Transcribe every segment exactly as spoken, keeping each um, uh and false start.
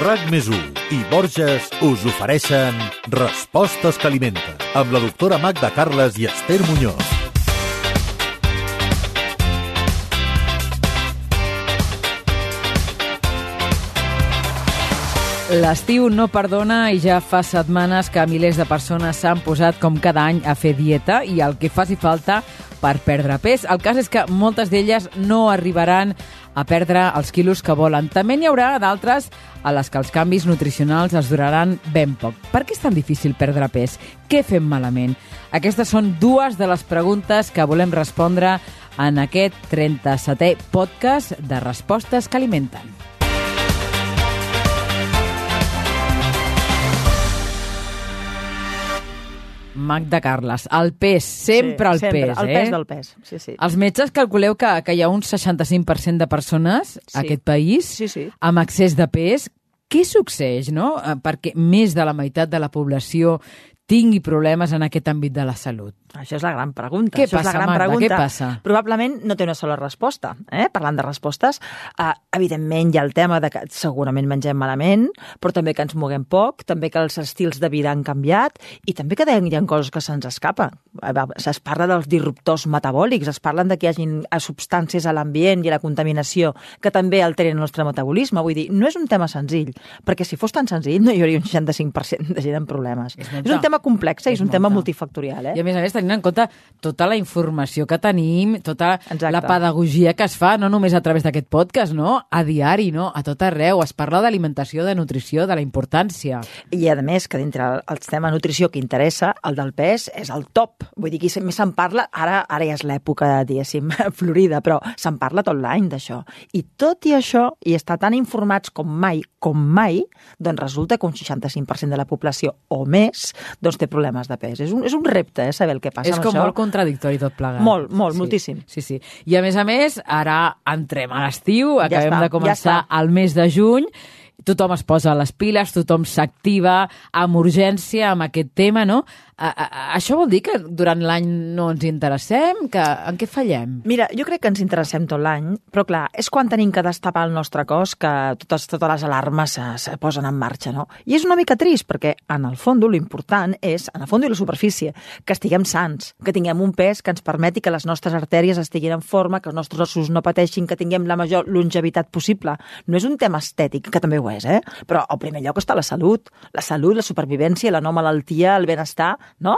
RAC més u i Borges us ofereixen Respostes que alimenten, amb la doctora Magda Carles i Esther Muñoz. L'estiu no perdona i ja fa setmanes que milers de persones s'han posat com cada any a fer dieta i el que faci falta per perdre pes. El cas és que moltes d'elles no arribaran a perdre els quilos que volen. També n'hi haurà d'altres a les que els canvis nutricionals es duraran ben poc. Per què és tan difícil perdre pes? Què fem malament? Aquestes són dues de les preguntes que volem respondre en aquest trenta-setè podcast de Respostes que alimenten. Magda Carles, el pes, sempre el sí, sempre, pes, el eh? pes del pes, sí, sí. Els metges calculeu que, que hi ha un seixanta-cinc per cent de persones Sí. a aquest país Sí, sí. amb excés de pes. Què succeeix, no? Eh, Perquè més de la meitat de la població tingui problemes en aquest àmbit de la salut. Això és la gran pregunta. Què Això passa, és la gran Magda? pregunta. Què passa? Probablement no té una sola resposta. Eh? Parlant de respostes, eh, evidentment hi ha el tema de que segurament mengem malament, però també que ens moguem poc, també que els estils de vida han canviat i també que hi ha coses que se'ns escapen. Es parla dels disruptors metabòlics, es parlen de que hi hagin substàncies a l'ambient i a la contaminació que també alteren el nostre metabolisme. Vull dir, no és un tema senzill, perquè si fos tan senzill no hi hauria un seixanta-cinc per cent de gent amb problemes. És És, molta. un tema complex i és, És un tema molta. multifactorial. Eh? I a més a més, tenint en compte tota la informació que tenim, tota Exacte. la pedagogia que es fa, no només a través d'aquest podcast, no? A diari, no? A tot arreu. Es parla d'alimentació, de nutrició, de la importància. I a més que dintre el tema nutrició que interessa, el del pes és el top. Vull dir que més se'n parla, ara ara ja és l'època, diguéssim, florida, però se'n parla tot l'any d'això. I tot i això, i estar tan informats com mai, com mai, doncs resulta que un seixanta-cinc per cent de la població o més doncs té problemes de pes. És un, és un repte, eh, saber el que passa És amb com això. molt contradictori tot plegat. Molt, molt, sí, moltíssim. Sí, sí. I a més a més, ara entrem a l'estiu, Ja acabem està, de començar ja està. el mes de juny, tothom es posa les piles, tothom s'activa amb urgència amb aquest tema, no? A, a, a, això vol dir que durant l'any no ens interessem? Que, en què fallem? Mira, jo crec que ens interessem tot l'any, però clar, és quan tenim que destapar el nostre cos que totes, totes les alarmes se, se posen en marxa, no? I és una mica trist, perquè en el fons l'important és, en el fons i la superfície, que estiguem sans, que tinguem un pes que ens permeti que les nostres artèries estiguin en forma, que els nostres ossos no pateixin, que tinguem la major longevitat possible. No és un tema estètic, que també ho és, eh? Però al primer lloc està la salut, la salut, la supervivència, la no malaltia, el benestar, no?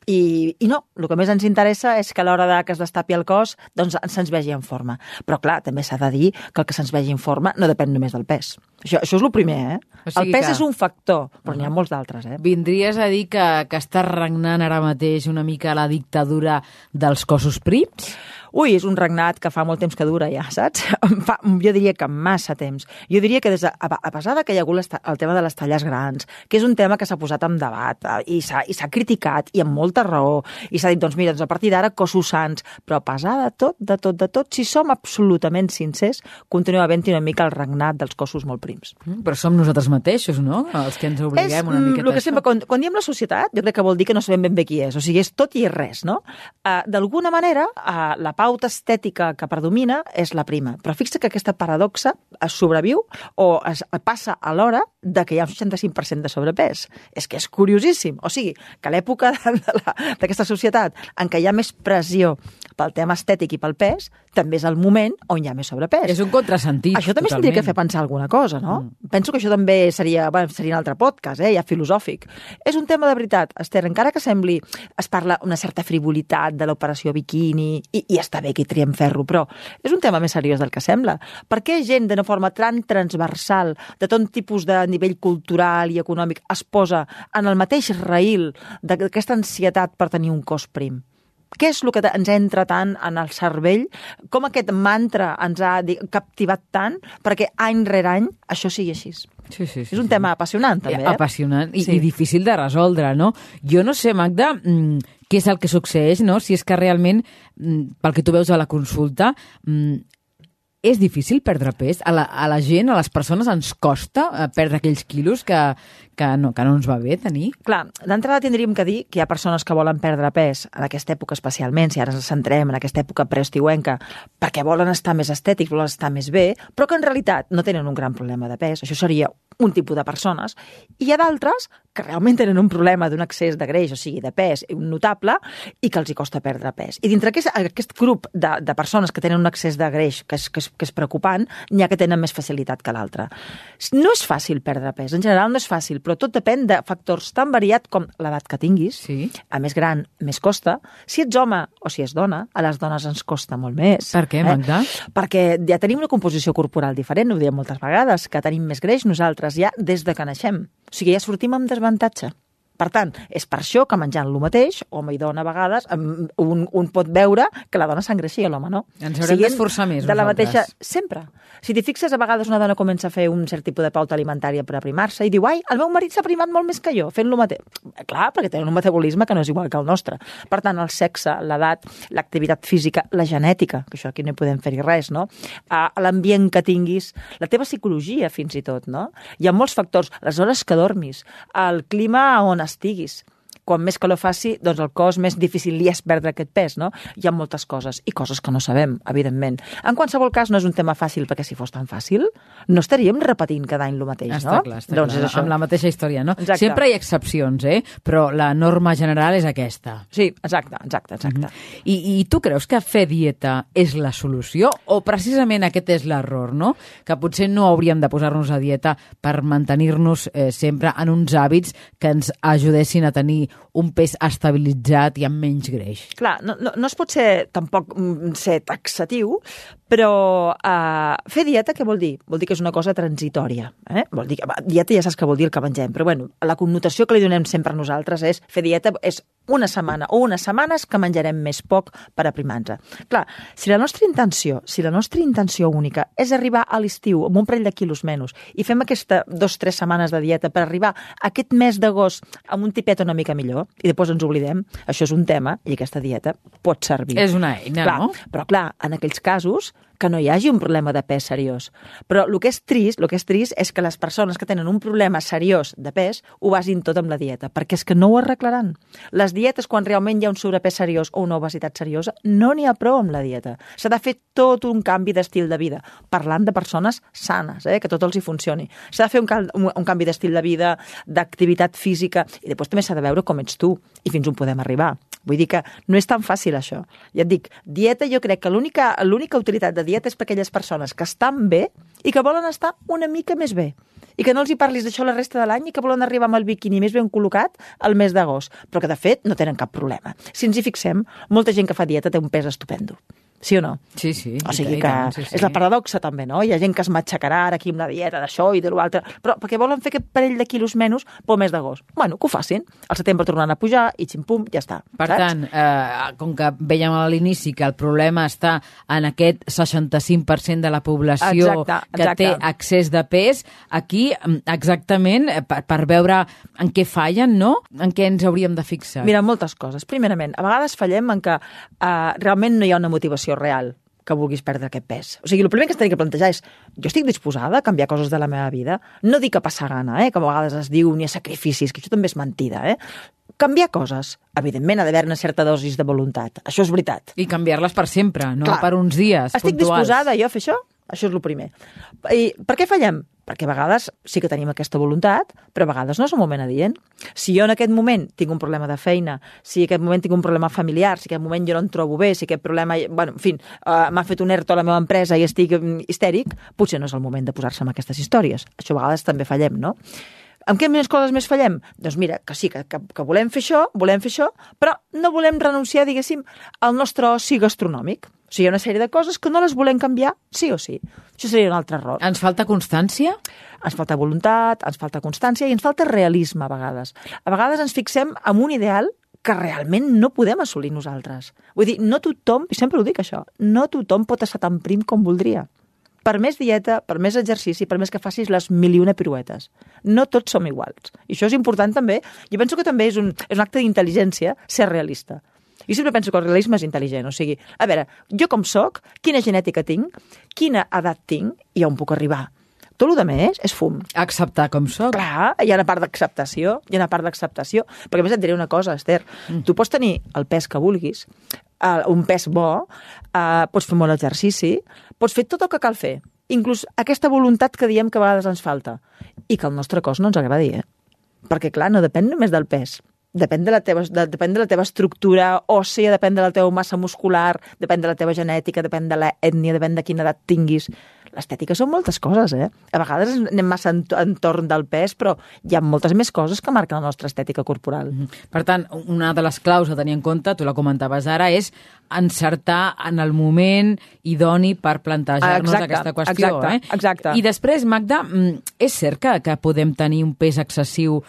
I, i no, el que més ens interessa és que a l'hora de que es destapi el cos doncs se'ns vegi en forma. Però clar, també s'ha de dir que el que se'ns vegi en forma no depèn només del pes. Això, això és el primer, eh? O sigui el pes que- és un factor, però n'hi ha molts d'altres, eh? Vindries a dir que, que està regnant ara mateix una mica la dictadura dels cossos prims? Ui, és un regnat que fa molt temps que dura ja, saps? Fa, jo diria que massa temps. Jo diria que des de, a, a pesar de que hi ha hagut el tema de les talles grans, que és un tema que s'ha posat en debat eh, i s'ha i s'ha criticat i amb molta raó, i s'ha dit, doncs mira, doncs a partir d'ara cossos sans, però a pesar de tot, de tot, de tot, si som absolutament sincers, continua havent-hi una mica el regnat dels cossos molt prims. Mm, però som nosaltres mateixos, no? Els que ens obliguem és, una miqueta el que a sempre, això. quan, quan diem la societat, jo crec que vol dir que no sabem ben bé qui és. O sigui, és tot i és res, no? Uh, D'alguna manera, uh, la pauta estètica que predomina és la prima. Però fixa que aquesta paradoxa es sobreviu o es passa a l'hora de que hi ha un seixanta-cinc per cent de sobrepès. És que és curiosíssim. O sigui, que a l'època d'aquesta societat en què hi ha més pressió pel tema estètic i pel pes, també és el moment on hi ha més sobrepès. És un contrasentit, Això també totalment. s'hauria que fer pensar alguna cosa, no? Mm. Penso que això també seria, bueno, seria un altre podcast, eh, ja filosòfic. És un tema de veritat, Esther, encara que sembli, es parla una certa frivolitat de l'operació biquini, i, i està bé que hi triem ferro, però és un tema més seriós del que sembla. Per què gent d'una forma tan transversal, de tot tipus de nivell cultural i econòmic, es posa en el mateix raïl d'aquesta ansietat per tenir un cos prim? Què és el que ens entra tant en el cervell? Com aquest mantra ens ha captivat tant perquè any rere any això sigui així? Sí, sí, sí, és un sí. tema apassionant, també. Eh? Apassionant i, Sí. i difícil de resoldre, no? Jo no sé, Magda, mm, què és el que succeeix, no? Si és que realment, mm, pel que tu veus a la consulta, mm, és difícil perdre pes? A la, a la gent, a les persones, ens costa eh, perdre aquells quilos que, que, no, que no ens va bé tenir? Clar, d'entrada tindríem que dir que hi ha persones que volen perdre pes en aquesta època especialment, si ara ens centrem en aquesta època preestiuenca, perquè volen estar més estètics, volen estar més bé, però que en realitat no tenen un gran problema de pes. Això seria un tipus de persones, i hi ha d'altres que realment tenen un problema d'un excés de greix, o sigui, de pes notable, i que els hi costa perdre pes. I dintre aquest, aquest grup de, de persones que tenen un excés de greix que és, que és, que és preocupant, n'hi ha que tenen més facilitat que l'altre. No és fàcil perdre pes, en general no és fàcil, però tot depèn de factors tan variats com l'edat que tinguis, sí. A més gran, més costa. Si ets home o si és dona, a les dones ens costa molt més. Per què, Magda? Eh? Perquè ja tenim una composició corporal diferent, ho diem moltes vegades, que tenim més greix nosaltres ja des de que naixem. O sigui, ja sortim amb desavantatge. Per tant, és per això que menjant el mateix, home i dona a vegades, un, un pot veure que la dona s'engreixia, l'home no. Ens haurem d'esforçar més, de la nosaltres. Mateixa, sempre. Si t'hi fixes, a vegades una dona comença a fer un cert tipus de pauta alimentària per aprimar-se i diu, ai, el meu marit s'ha primat molt més que jo, fent lo mateix. Clar, perquè tenen un metabolisme que no és igual que el nostre. Per tant, el sexe, l'edat, l'activitat física, la genètica, que això aquí no hi podem fer-hi res, no? L'ambient que tinguis, la teva psicologia, fins i tot, no? Hi ha molts factors, les hores que dormis, el clima on estiguis. Quan més calor faci, doncs el cos més difícil li és perdre aquest pes, no? Hi ha moltes coses, i coses que no sabem, evidentment. En qualsevol cas, no és un tema fàcil, perquè si fos tan fàcil, no estaríem repetint cada any el mateix, està no? Clar, està doncs clar, és això. amb la mateixa història, no? Exacte. Sempre hi ha excepcions, eh? Però la norma general és aquesta. Sí, exacte, exacte, exacte. Mm-hmm. I, I tu creus que fer dieta és la solució? O precisament aquest és l'error, no? Que potser no hauríem de posar-nos a dieta per mantenir-nos eh, sempre en uns hàbits que ens ajudessin a tenir un pes estabilitzat i amb menys greix. Clar, no, no, no es pot ser tampoc ser taxatiu, però uh, fer dieta què vol dir? Vol dir que és una cosa transitòria. Eh? Vol dir que, va, dieta ja saps que vol dir el que mengem, però bueno, la connotació que li donem sempre a nosaltres és fer dieta és una setmana o unes setmanes que menjarem més poc per aprimar-nos. Clar, si la nostra intenció, si la nostra intenció única és arribar a l'estiu amb un parell de quilos menys i fem aquesta dos o tres setmanes de dieta per arribar a aquest mes d'agost amb un tipet una mica millor i després ens oblidem, això és un tema i aquesta dieta pot servir. És una eina, clar, no? Però clar, en aquells casos que no hi hagi un problema de pes seriós. Però el que és trist, el que és trist és que les persones que tenen un problema seriós de pes ho basin tot amb la dieta, perquè és que no ho arreglaran. Les dietes, quan realment hi ha un sobrepès seriós o una obesitat seriosa, no n'hi ha prou amb la dieta. S'ha de fer tot un canvi d'estil de vida, parlant de persones sanes, eh, que tot els hi funcioni. S'ha de fer un, un, un canvi d'estil de vida, d'activitat física, i després també s'ha de veure com ets tu i fins on podem arribar. Vull dir que no és tan fàcil això. Ja et dic, dieta, jo crec que l'única l'única utilitat de dieta és per aquelles persones que estan bé i que volen estar una mica més bé. I que no els hi parlis d'això la resta de l'any i que volen arribar amb el biquini més ben col·locat al mes d'agost. Però que, de fet, no tenen cap problema. Si ens hi fixem, molta gent que fa dieta té un pes estupendo. Sí o no? Sí, sí. O sigui que tant, sí, sí. És la paradoxa també, no? Hi ha gent que es matxacarà ara aquí amb la dieta d'això i de l'altre, però perquè volen fer aquest parell de quilos menys pel mes d'agost. Bueno, que ho facin. Al setembre tornaran a pujar i xim-pum, ja està. Per saps? tant, eh, com que vèiem a l'inici que el problema està en aquest seixanta-cinc per cent de la població exacte, que exacte. té excés de pes, aquí exactament per, per veure en què fallen, no? En què ens hauríem de fixar? Mira, moltes coses. Primerament, a vegades fallem en que eh, realment no hi ha una motivació real que vulguis perdre aquest pes. O sigui, el primer que es té que plantejar és jo estic disposada a canviar coses de la meva vida? No dic a passar gana, eh? Que a vegades es diu ni a sacrificis, que això també és mentida, eh? Canviar coses. Evidentment ha d'haver una certa dosis de voluntat. Això és veritat. I canviar-les per sempre, no Clar. per uns dies Estic puntuals. disposada jo a fer això? Això és el primer. I per què fallem? Perquè a vegades sí que tenim aquesta voluntat, però a vegades no és el moment adient. Si jo en aquest moment tinc un problema de feina, si en aquest moment tinc un problema familiar, si en aquest moment jo no em trobo bé, si aquest problema, bueno, en fi, uh, m'ha fet un ERTO a la meva empresa i estic histèric, potser no és el moment de posar-se amb aquestes històries. Això a vegades també fallem, no? Amb què més coses més fallem? Doncs mira, que sí, que, que, que volem fer això, volem fer això, però no volem renunciar, diguéssim, al nostre oci gastronòmic. O sigui, hi ha una sèrie de coses que no les volem canviar, sí o sí. Això seria un altre error. Ens falta constància? Ens falta voluntat, ens falta constància i ens falta realisme a vegades. A vegades ens fixem en un ideal que realment no podem assolir nosaltres. Vull dir, no tothom, i sempre ho dic això, no tothom pot estar tan prim com voldria. Per més dieta, per més exercici, per més que facis les mil i una piruetes. No tots som iguals. I això és important també. Jo penso que també és un, és un acte d'intel·ligència ser realista. Jo sempre penso que el realisme és intel·ligent. O sigui, a veure, jo com soc, quina genètica tinc, quina edat tinc i on puc arribar. Tot el que més és fum. Acceptar com soc. Clar, hi ha una part d'acceptació, hi ha una part d'acceptació. Perquè a més et diré una cosa, Esther, mm. tu pots tenir el pes que vulguis, uh, un pes bo, uh, pots fer molt exercici, pots fer tot el que cal fer. inclús aquesta voluntat que diem que a vegades ens falta i que el nostre cos no ens agradi, eh? Perquè, clar, no depèn només del pes. Depèn de, la teva, de, depèn de la teva estructura òssea, depèn de la teva massa muscular, depèn de la teva genètica, depèn de l'ètnia, depèn de quina edat tinguis. L'estètica són moltes coses, eh? A vegades anem massa entorn del pes, però hi ha moltes més coses que marquen la nostra estètica corporal. Per tant, una de les claus a tenir en compte, tu la comentaves ara, és encertar en el moment idoni per plantejar-nos exacte, aquesta qüestió. Exacte, eh? exacte. I després, Magda, és cert que, que podem tenir un pes excessiu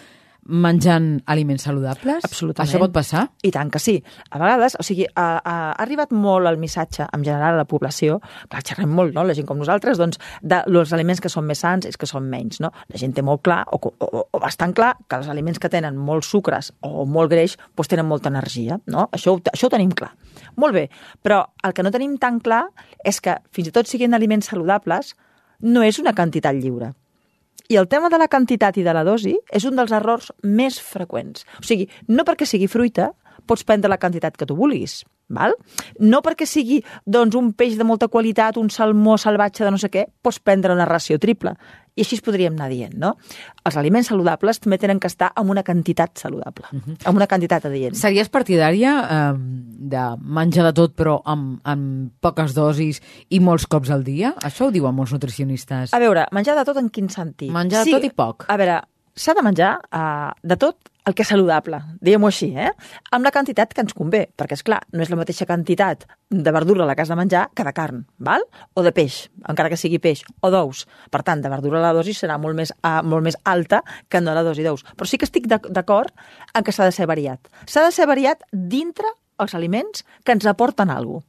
menjant aliments saludables? Absolutament. Això pot passar? I tant que sí. A vegades, o sigui, ha, ha arribat molt el missatge, en general, a la població, clar, xerrem molt, no?, la gent com nosaltres, doncs, dels aliments que són més sants és que són menys, no? La gent té molt clar, o, o, o bastant clar, que els aliments que tenen molts sucres o molt greix, doncs tenen molta energia, no? Això, això ho tenim clar. Molt bé, però el que no tenim tan clar és que, fins i tot siguin aliments saludables, no és una quantitat lliure. I el tema de la quantitat i de la dosi és un dels errors més freqüents. O sigui, no perquè sigui fruita pots prendre la quantitat que tu vulguis, val? No perquè sigui doncs, un peix de molta qualitat, un salmó salvatge de no sé què, pots prendre una ració triple. I així es podríem anar dient, no? Els aliments saludables també tenen que estar amb una quantitat saludable, uh-huh. amb una quantitat adient. Series partidària eh, de menjar de tot però amb, amb poques dosis i molts cops al dia? Això ho diuen molts nutricionistes. A veure, menjar de tot en quin sentit? Menjar de sí, tot i poc. A veure, s'ha de menjar uh, de tot el que és saludable, diguem-ho així, eh? Amb la quantitat que ens convé, perquè, és clar, no és la mateixa quantitat de verdura a la que has de menjar que de carn, val? O de peix, encara que sigui peix, o d'ous. Per tant, de verdura la dosi serà molt més, uh, molt més alta que no la dosi d'ous. Però sí que estic d'acord en que s'ha de ser variat. S'ha de ser variat dintre els aliments que ens aporten alguna cosa.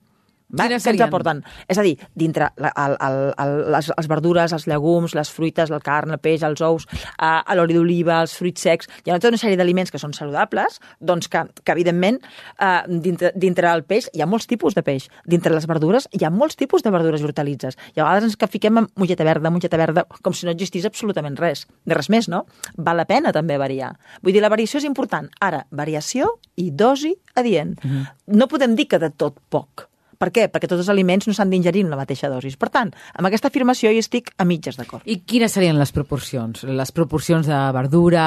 Quines que ens serien? aporten? És a dir, dintre la, el, el, el, les, les verdures, els llegums, les fruites, la carn, el peix, els ous, eh, l'oli d'oliva, els fruits secs, hi ha tota una sèrie d'aliments que són saludables, doncs que, que evidentment, eh, dintre, dintre el peix hi ha molts tipus de peix. Dintre les verdures hi ha molts tipus de verdures i hortalitzes. I a vegades ens que fiquem amb mongeta verda, mongeta verda, com si no existís absolutament res. De res més, no? Val la pena també variar. Vull dir, la variació és important. Ara, variació i dosi adient. Mm-hmm. No podem dir que de tot poc. Per què? Perquè tots els aliments no s'han d'ingerir en la mateixa dosis. Per tant, amb aquesta afirmació hi estic a mitges d'acord. I quines serien les proporcions? Les proporcions de verdura,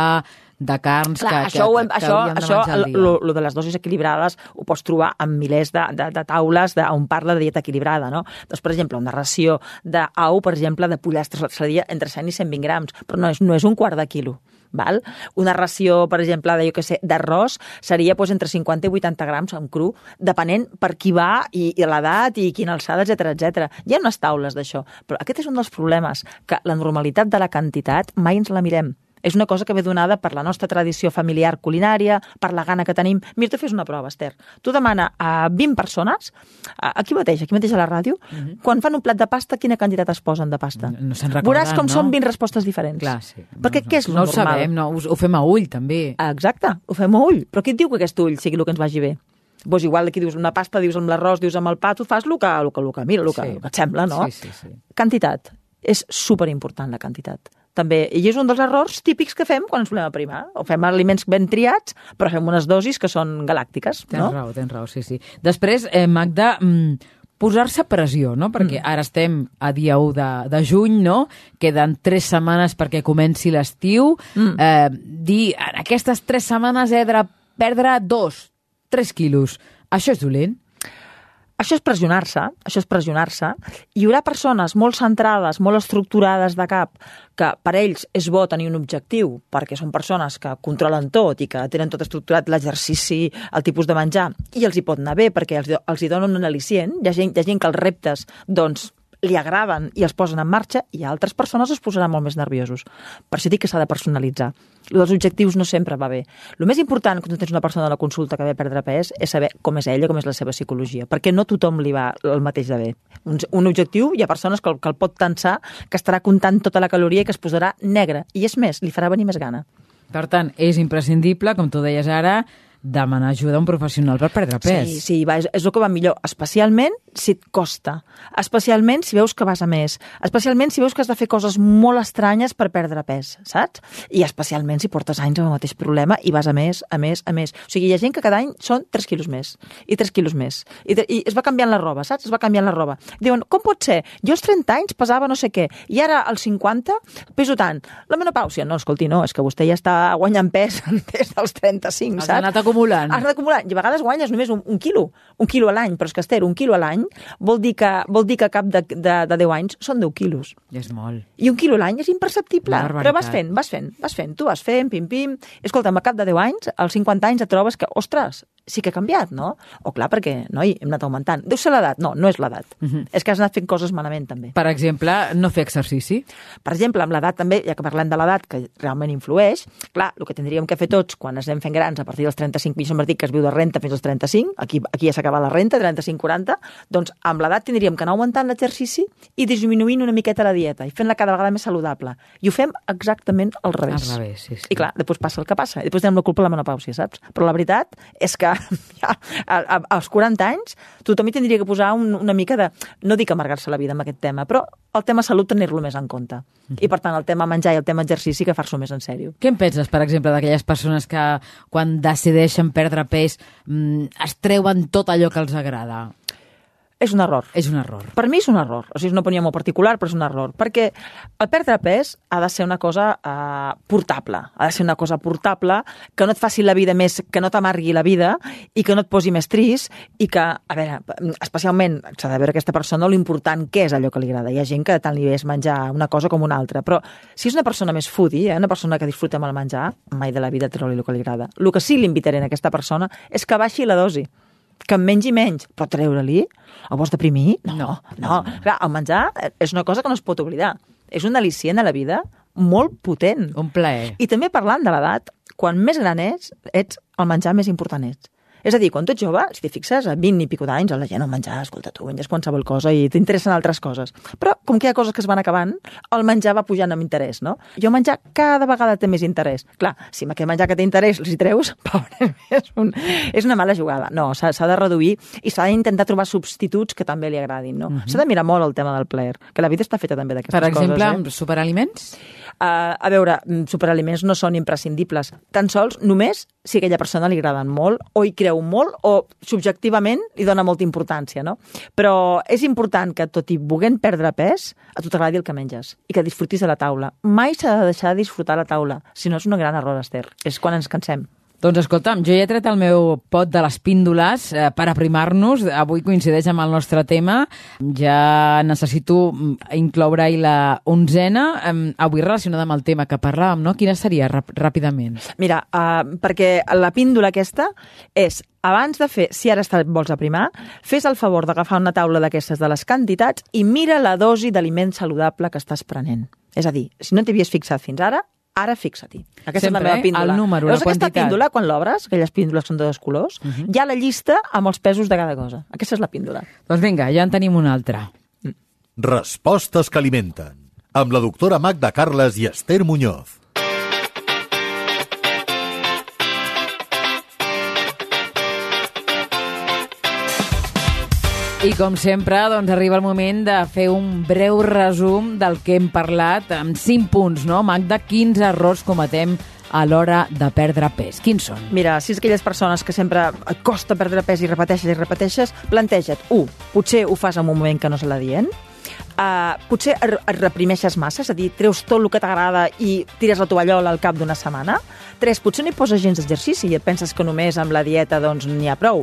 de carns, clar, que, això, que, que, això, que això, al dia? Lo, lo de les dosis equilibrades ho pots trobar en milers de, de, de taules de, on parla de dieta equilibrada, no? Doncs, per exemple, una ració d'au, per exemple, de pollastres seria entre cent i cent vint grams, però no és, no és un quart de quilo. Val? Una ració, per exemple, de, jo què sé, d'arròs seria doncs, entre cinquanta i vuitanta grams en cru, depenent per qui va i, i l'edat i quina alçada, etcètera, etcètera. Hi ha unes taules d'això, però aquest és un dels problemes, que la normalitat de la quantitat mai ens la mirem. És una cosa que ve donada per la nostra tradició familiar culinària, per la gana que tenim. Mira, tu fes una prova, Esther. Tu demana a vint persones, aquí mateix, aquí mateix a la ràdio, uh-huh. quan fan un plat de pasta, quina quantitat es posen de pasta? No, no se'n recorden, Veuràs com no? són vint respostes diferents. Clar, sí. Perquè no, què és no, lo no normal? No ho sabem, no, ho, ho fem a ull, també. Exacte, ho fem a ull. Però qui et diu que aquest ull sigui el que ens vagi bé? Vos igual aquí dius una pasta, dius amb l'arròs, dius amb el pa, tu fas el que, el que, el que mira, el que, sí. el que et sembla, no? Sí, sí, sí. Quantitat. És superimportant, la quantitat. També, i és un dels errors típics que fem quan ens volem aprimar. O fem aliments ben triats, però fem unes dosis que són galàctiques, tens no? Tens raó, tens raó, sí, sí. Després, eh, Magda, mm, posar-se pressió, no? Perquè mm. ara estem a dia u de, de juny, no? Queden tres setmanes perquè comenci l'estiu. Mm. Eh, dir, en aquestes tres setmanes he de perdre dos, tres quilos. Això és dolent? Això és pressionar-se, això és pressionar-se. Hi haurà persones molt centrades, molt estructurades de cap, que per ells és bo tenir un objectiu, perquè són persones que controlen tot i que tenen tot estructurat, l'exercici, el tipus de menjar, i els hi pot anar bé perquè els, els hi donen un al·licient. Hi ha gent, hi ha gent que els reptes, doncs, li agraden i els posen en marxa, i altres persones es posaran molt més nerviosos. Per això dic que s'ha de personalitzar. Lo dels objectius no sempre va bé. El més important quan tu tens una persona a la consulta que ve a perdre pes és saber com és ella, com és la seva psicologia, perquè no tothom li va el mateix de bé. Un, un objectiu, hi ha persones que el, que el pot tensar, que estarà comptant tota la caloria i que es posarà negre, i és més, li farà venir més gana. Per tant, és imprescindible, com tu deies ara, demanar ajuda a un professional per perdre pes. Sí, sí, va, és, és el que va millor, especialment si et costa. Especialment si veus que vas a més. Especialment si veus que has de fer coses molt estranyes per perdre pes, saps? I especialment si portes anys amb el mateix problema i vas a més, a més, a més. O sigui, hi ha gent que cada any són tres quilos més, i tres quilos més. I, i es va canviant la roba, saps? Es va canviant la roba. Diuen, com pot ser? Jo als trenta anys pesava no sé què, i ara als cinquanta peso tant. La menopàusia? No, escolti, no, és que vostè ja està guanyant pes des dels trenta-cinc, saps? Has anat acumulant. Has anat acumulant. I a vegades guanyes només un, un quilo, un quilo a l'any, però és que, Esther, un quilo a l'any vol dir que, vol dir que a cap de, de, de deu anys són deu quilos. I és molt. I un quilo a l'any és imperceptible. Però vas fent, vas fent, vas fent. Tu vas fent, pim-pim. Escolta'm, a cap de deu anys, als cinquanta anys et trobes que, ostres, sí que ha canviat, no? O clar, perquè, noi, hem anat augmentant. Deu ser l'edat? No, no és l'edat. Uh-huh. És que has anat fent coses malament, també. Per exemple, no fer exercici? Per exemple, amb l'edat també, ja que parlem de l'edat, que realment influeix, clar, el que tindríem que fer tots quan ens anem fent grans a partir dels trenta-cinc, mi sempre dic que es viu de renta fins als trenta-cinc, aquí, aquí ja s'acaba la renta, trenta-cinc quaranta, doncs amb l'edat tindríem que anar augmentant l'exercici i disminuint una miqueta la dieta i fent-la cada vegada més saludable. I ho fem exactament al revés. Al revés, sí, sí. I clar, després passa el que passa. I després tenim la culpa de la menopàusia, saps? Però la veritat és que ja, a, a, als quaranta anys tothom hi tindria que posar un, una mica de... No dic amargar-se la vida amb aquest tema, però el tema salut tenir-lo més en compte. Mm-hmm. I per tant, el tema menjar i el tema exercici que far-s'ho més en sèrio. Què en penses, per exemple, d'aquelles persones que quan decideixen perdre pes mmm, es treuen tot allò que els agrada? És un error. És un error. Per mi és un error. O sigui, és una opinió molt particular, però és un error. Perquè el perdre pes ha de ser una cosa eh, portable. Ha de ser una cosa portable, que no et faci la vida més, que no t'amargui la vida i que no et posi més trist i que, a veure, especialment s'ha de veure aquesta persona l'important que és allò que li agrada. Hi ha gent que tant li és menjar una cosa com una altra, però si és una persona més foodie, eh, una persona que disfruta amb el menjar, mai de la vida treu-li el que li agrada. El que sí li invitaré a aquesta persona és que baixi la dosi, que en mengi menys, però treure-li? El vols deprimir? No, no, no. Clar, el menjar és una cosa que no es pot oblidar. És un al·licient a la vida molt potent. Un plaer. I també parlant de l'edat, quan més gran ets, ets el menjar més important ets. És a dir, quan tu ets jove, si t'hi fixes, a vint i pico d'anys, la gent no menjar, escolta, tu menges qualsevol cosa i t'interessen altres coses. Però, com que hi ha coses que es van acabant, el menjar va pujant amb interès, no? Jo menjar cada vegada té més interès. Clar, si amb aquest menjar que té interès els hi treus, pobre, és, un, és una mala jugada. No, s'ha de reduir i s'ha d'intentar trobar substituts que també li agradin, no? Uh-huh. S'ha de mirar molt el tema del plaer, que la vida està feta també d'aquestes coses. Per exemple, eh? amb superaliments? Uh, a veure, superaliments no són imprescindibles. Tan sols només si a aquella persona li agraden molt, o hi creu molt, o subjectivament li dona molta importància, no? Però és important que, tot i volent perdre pes, a tu t'agradi el que menges i que disfrutis a la taula. Mai s'ha de deixar de disfrutar a la taula, si no és un gran error, Esther. És quan ens cansem. Doncs escolta'm, jo ja he tret el meu pot de les píndoles eh, per aprimar-nos. Avui coincideix amb el nostre tema. Ja necessito incloure-hi la onzena, eh, avui relacionada amb el tema que parlàvem, no? Quina seria, ràp ràpidament? Mira, uh, perquè la píndola aquesta és, abans de fer, si ara et vols aprimar, fes el favor d'agafar una taula d'aquestes de les quantitats i mira la dosi d'aliment saludable que estàs prenent. És a dir, si no t'hi havies fixat fins ara, ara fixa-t'hi. Aquesta sempre, és la meva píndola. El número, Veus la quantitat. Aquesta píndola, quan l'obres, aquelles píndoles són de dos colors, uh-huh. hi ha la llista amb els pesos de cada cosa. Aquesta és la píndola. Doncs vinga, ja en tenim una altra. Respostes que alimenten. Amb la doctora Magda Carles i Esther Muñoz. I com sempre, doncs, arriba el moment de fer un breu resum del que hem parlat amb cinc punts, no? Magda, quins errors cometem a l'hora de perdre pes? Quins són? Mira, si és aquelles persones que sempre et costa perdre pes i repeteixes i repeteixes, planteja't, u, potser ho fas en un moment que no se l'adient, uh, potser et reprimeixes massa, és a dir, treus tot el que t'agrada i tires la tovallola al cap d'una setmana. Tres, potser no hi poses gens d'exercici i et penses que només amb la dieta doncs n'hi ha prou.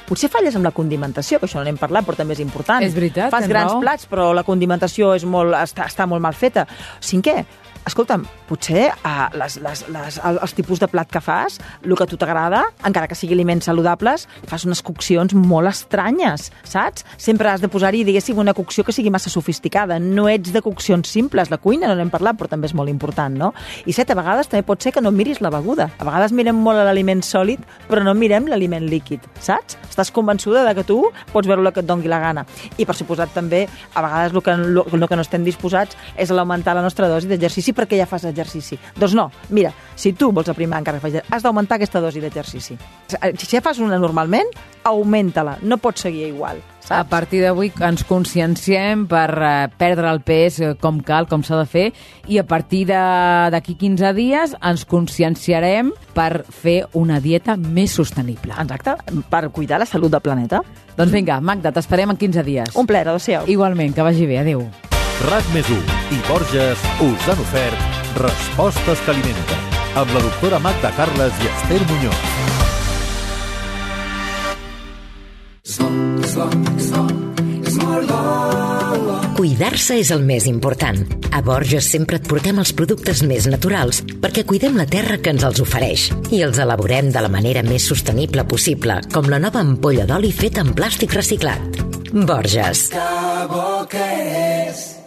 Potser falles amb la condimentació, que això no n'hem parlat, però també és important. És veritat, Fas grans raó. plats, però la condimentació és molt, està, està molt mal feta. Cinquè, escolta'm, potser uh, les, les, les, els tipus de plat que fas, el que a tu t'agrada, encara que sigui aliments saludables, fas unes coccions molt estranyes, saps? Sempre has de posar-hi, diguéssim, una cocció que sigui massa sofisticada. No ets de coccions simples. La cuina no n'hem parlat, però també és molt important, no? I set, a vegades també pot ser que no miris la beguda. A vegades mirem molt l'aliment sòlid, però no mirem l'aliment líquid, saps? Estàs convençuda de que tu pots veure el que et doni la gana. I, per suposat, també, a vegades el que, el que no estem disposats és l'augmentar la nostra dosi d'exercici, perquè ja fas exercici. Doncs no, mira, si tu vols aprimar encara que facis, has d'augmentar aquesta dosi d'exercici. Si ja fas una normalment, augmenta-la, no pots seguir igual. Saps? A partir d'avui ens conscienciem per eh, perdre el pes eh, com cal, com s'ha de fer, i a partir d'aquí quinze dies ens conscienciarem per fer una dieta més sostenible. Exacte, per cuidar la salut del planeta. Doncs vinga, Magda, t'esperem en quinze dies. Un plaer, adéu-siau. Igualment, que vagi bé, adéu. RAC més u i Borges us han ofert Respostes que alimenten, amb la doctora Magda Carles i Esther Muñoz. Cuidar-se és el més important. A Borges sempre et portem els productes més naturals perquè cuidem la terra que ens els ofereix i els elaborem de la manera més sostenible possible, com la nova ampolla d'oli feta en plàstic reciclat. Borges. Que bo que és